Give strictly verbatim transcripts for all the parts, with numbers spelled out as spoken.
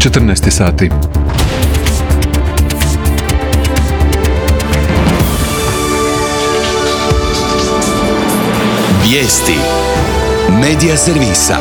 četrnaest sati. Vijesti Medija servisa.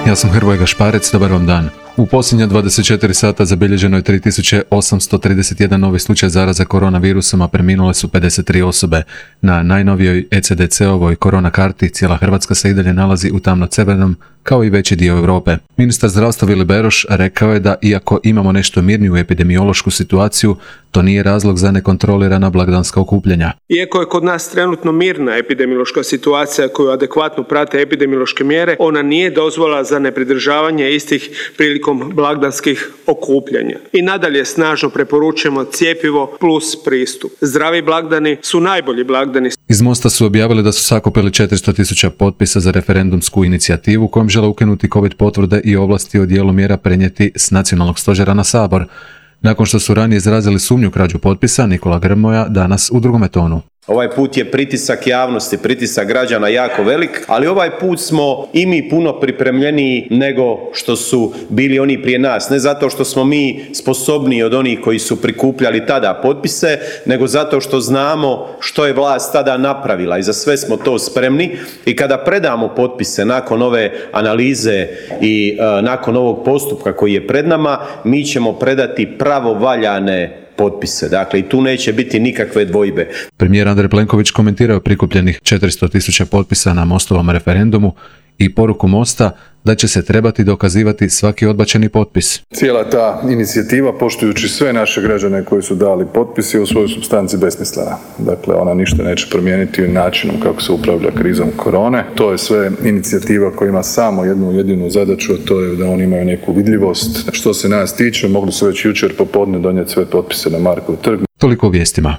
Ja sam Hrvoje Gašparec, dobar vam dan. U posljednja dvadeset četiri sata zabilježeno je tri tisuće osamsto trideset jedan novi slučaj zaraza koronavirusom, a preminule su pedeset tri osobe. Na najnovijoj E C D C-ovoj korona karti cijela Hrvatska se i dalje nalazi u tamno-crvenom, kao i veći dio Europe. Ministar zdravstva Vili Beroš rekao je da iako imamo nešto mirniju epidemiološku situaciju, to nije razlog za nekontrolirana blagdanska okupljanja. Iako je kod nas trenutno mirna epidemiološka situacija koju adekvatno prate epidemiološke mjere, ona nije dozvola za nepridržavanje istih prilikom blagdanskih okupljanja. I nadalje snažno preporučujemo cjepivo plus pristup. Zdravi blagdani su najbolji blagdani. Iz Mosta su objavili da su sakupili četiristo tisuća potpisa za referendumsku inicijativu kojom žele ukinuti covid potvrde i ovlasti o dijelu mjera prenijeti s nacionalnog stožera na Sabor. Nakon što su ranije izrazili sumnju krađu potpisa, Nikola Grmoja danas u drugome tonu. Ovaj put je pritisak javnosti, pritisak građana jako velik, ali ovaj put smo i mi puno pripremljeniji nego što su bili oni prije nas. Ne zato što smo mi sposobniji od onih koji su prikupljali tada potpise, nego zato što znamo što je vlast tada napravila i za sve smo to spremni. I kada predamo potpise nakon ove analize i uh, nakon ovog postupka koji je pred nama, mi ćemo predati pravovaljane potpise. Dakle, i tu neće biti nikakve dvojbe. Premijer Andrej Plenković komentirao prikupljenih četiristo tisuća potpisa na Mostovom referendumu i poruku Mosta da će se trebati dokazivati svaki odbačeni potpis. Cijela ta inicijativa, poštujući sve naše građane koji su dali potpis, je u svojoj supstanci besmislena. Dakle, ona ništa neće promijeniti načinom kako se upravlja krizom korone. To je sve inicijativa koja ima samo jednu jedinu zadaću, a to je da oni imaju neku vidljivost. Što se nas tiče, mogli su već jučer popodne donijeti sve potpise na Markov trg. Toliko o vijestima.